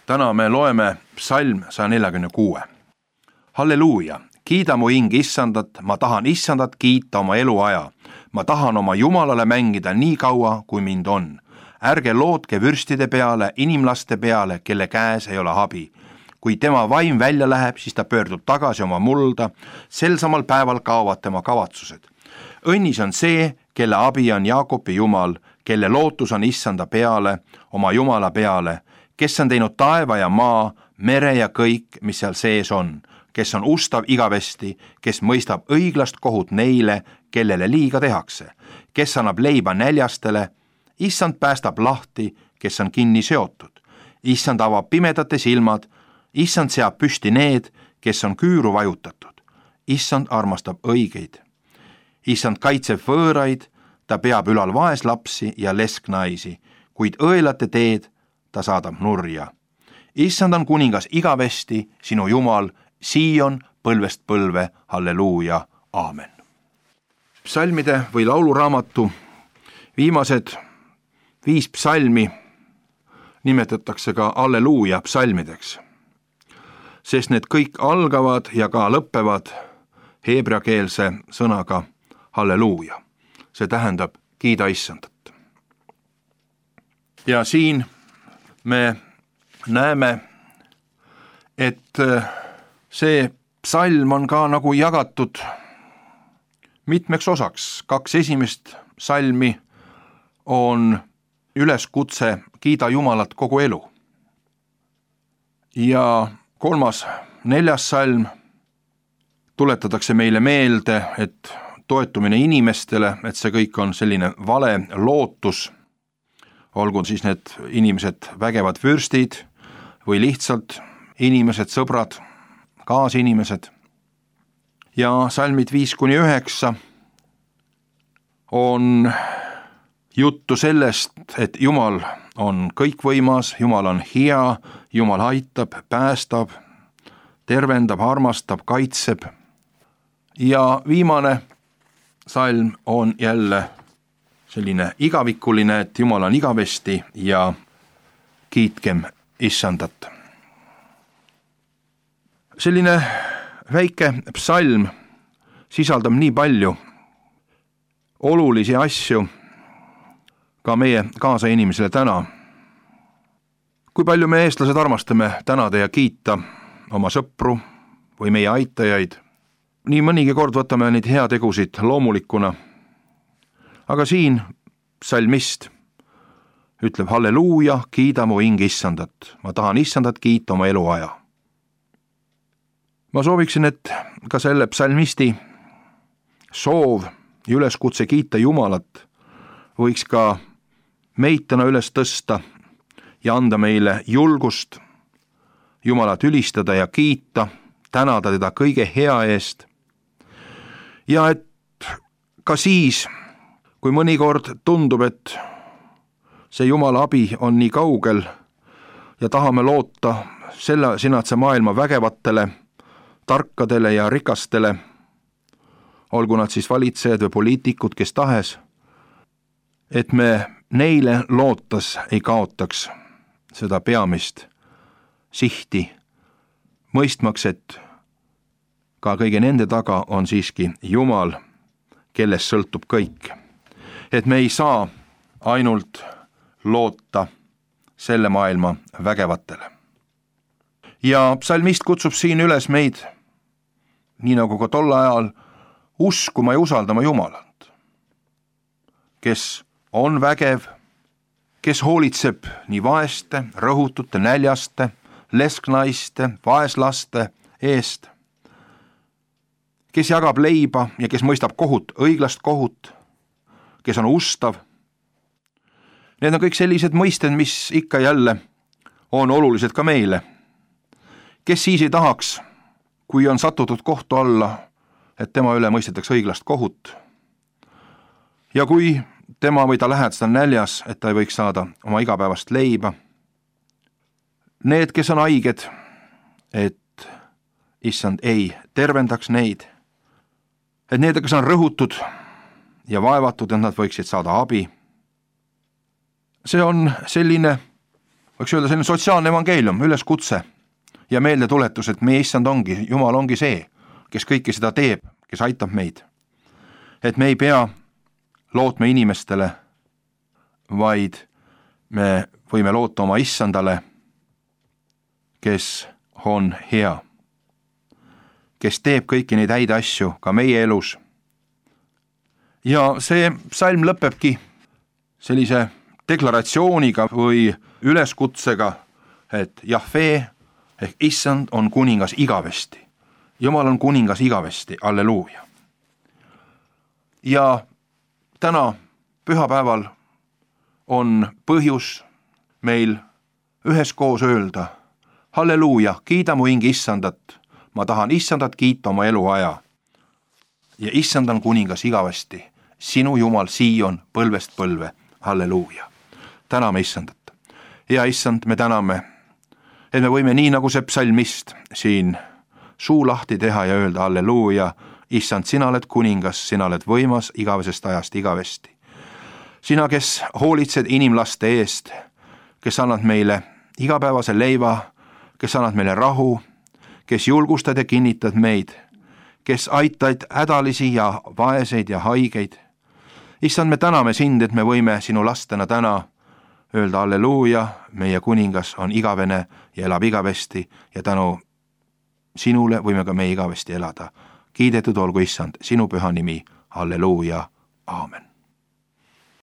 Täna me loeme psalm 146. Halleluuja, kiida mu hing issandat, ma tahan issandat kiita oma eluaja. Ma tahan oma Jumalale mängida nii kaua, kui mind on. Ärge lootke vürstide peale, inimlaste peale, kelle käes ei ole abi. Kui tema vaim välja läheb, siis ta pöördub tagasi oma mulda, sel samal päeval kaovad tema kavatsused. Õnnis on see, kelle abi on Jaakobi Jumal, kelle lootus on issanda peale, oma Jumala peale, kes on teinud taeva ja maa, mere ja kõik, mis seal sees on, kes on ustav igavesti, kes mõistab õiglast kohut neile, kellele liiga tehakse, kes annab leiba näljastele, issand päästab lahti, kes on kinni seotud, issand avab pimedate silmad, issand seab püsti need, kes on küüru vajutatud, issand armastab õigeid, issand kaitseb võõraid, ta peab ülal vaeslapsi ja lesknaisi, kuid õelate teed ta saadab nurja. Issand on kuningas igavesti, sinu Jumal, Sion põlvest põlve, halleluuja, aamen. Psalmide või lauluraamatu viimased 5 psalmi nimetatakse ka halleluuja psalmideks, sest need kõik algavad ja ka lõppevad heebreakeelse sõnaga halleluuja. See tähendab kiida issandat. Ja siin me näeme, et see psalm on ka nagu jagatud mitmeks osaks. 2 esimest psalmi on üleskutse kiida Jumalat kogu elu. Ja 3., 4. psalm tuletatakse meile meelde, et toetumine inimestele, et see kõik on selline vale lootus, olgu siis need inimesed vägevad vürstid või lihtsalt inimesed, sõbrad, kaasinimesed. Ja salmid 5-9 on juttu sellest, et Jumal on kõikvõimas, Jumal on hea, Jumal aitab, päästab, tervendab, armastab, kaitseb. Ja viimane salm on jälle selline igavikuline, et Jumal on igavesti ja kiitkem issandat. Selline väike psalm sisaldab nii palju olulisi asju ka meie kaasainimesele täna. Kui palju me eestlased armastame tänada ja kiita oma sõpru või meie aitajaid. Nii mõnigi kord võtame neid heategusid loomulikuna. Aga siin psalmist ütleb halleluuja, kiida mu hing issandat. Ma tahan issandat kiita oma eluaja. Ma sooviksin, et ka selle psalmisti soov ja üleskutse kiita Jumalat võiks ka meid täna üles tõsta ja anda meile julgust Jumalat ülistada ja kiita, tänada teda kõige hea eest. Ja et ka siis, kui mõnikord tundub, et see Jumala abi on nii kaugel ja tahame loota sinatse maailma vägevatele, tarkadele ja rikastele, olgu nad siis valitsejad või poliitikud, kes tahes, et me neile lootas ei kaotaks seda peamist sihti, mõistmaks, et ka kõige nende taga on siiski Jumal, kellest sõltub kõik. Et me ei saa ainult loota selle maailma vägevatele. Ja psalmist kutsub siin üles meid, nii nagu ka tol ajal, uskuma ja usaldama Jumalat, kes on vägev, kes hoolitseb nii vaeste, rõhutute, näljaste, lesknaiste, vaeslaste eest, kes jagab leiba ja kes mõistab kohut, õiglast kohut, kes on ustav. Need on kõik sellised mõisted, mis ikka jälle on olulised ka meile. Kes siis ei tahaks, kui on satutud kohtu alla, et tema üle mõistetakse õiglast kohut. Ja kui tema või ta lähedased on näljas, et ta ei võiks saada oma igapäevast leiba. Need, kes on haiged, et issand ei tervendaks neid. Et need, kes on rõhutud ja vaevatud, et nad võiksid saada abi. See on selline võiks öelda selline sotsiaalne evangeelium, üleskutse ja meeldetuletus, et meie issand ongi, Jumal ongi see, kes kõike seda teeb, kes aitab meid. Et me ei pea lootma inimestele, vaid me võime loota oma issandale, kes on hea, kes teeb kõiki neid häid asju ka meie elus. Ja see psalm lõpebki sellise deklaratsiooniga või üleskutsega, et Jahvee ehk issand on kuningas igavesti. Jumal on kuningas igavesti, alleluuja. Ja täna pühapäeval on põhjus meil üheskoos öelda, halleluuja, kiida mu hing issandat, ma tahan issandat kiita oma eluaja. Ja issand on kuningas igavesti, sinu Jumal Siion põlvest põlve, halleluuja. Täname issandat. Ja issand, me täname, et me võime nii nagu see psalmist siin suu lahti teha ja öelda halleluuja, issand, sina oled kuningas, sina oled võimas igavesest ajast igavesti. Sina, kes hoolitsed inimlaste eest, kes annad meile igapäevase leiva, kes annad meile rahu, kes julgustad ja kinnitad meid, kes aitad hädalisi ja vaeseid ja haigeid. Issand, me täname sind, et me võime sinu lastena täna öelda halleluuja, meie kuningas on igavene ja elab igavesti ja tänu sinule võime ka meie igavesti elada. Kiidetud olgu issand, sinu püha nimi, halleluuja, aamen.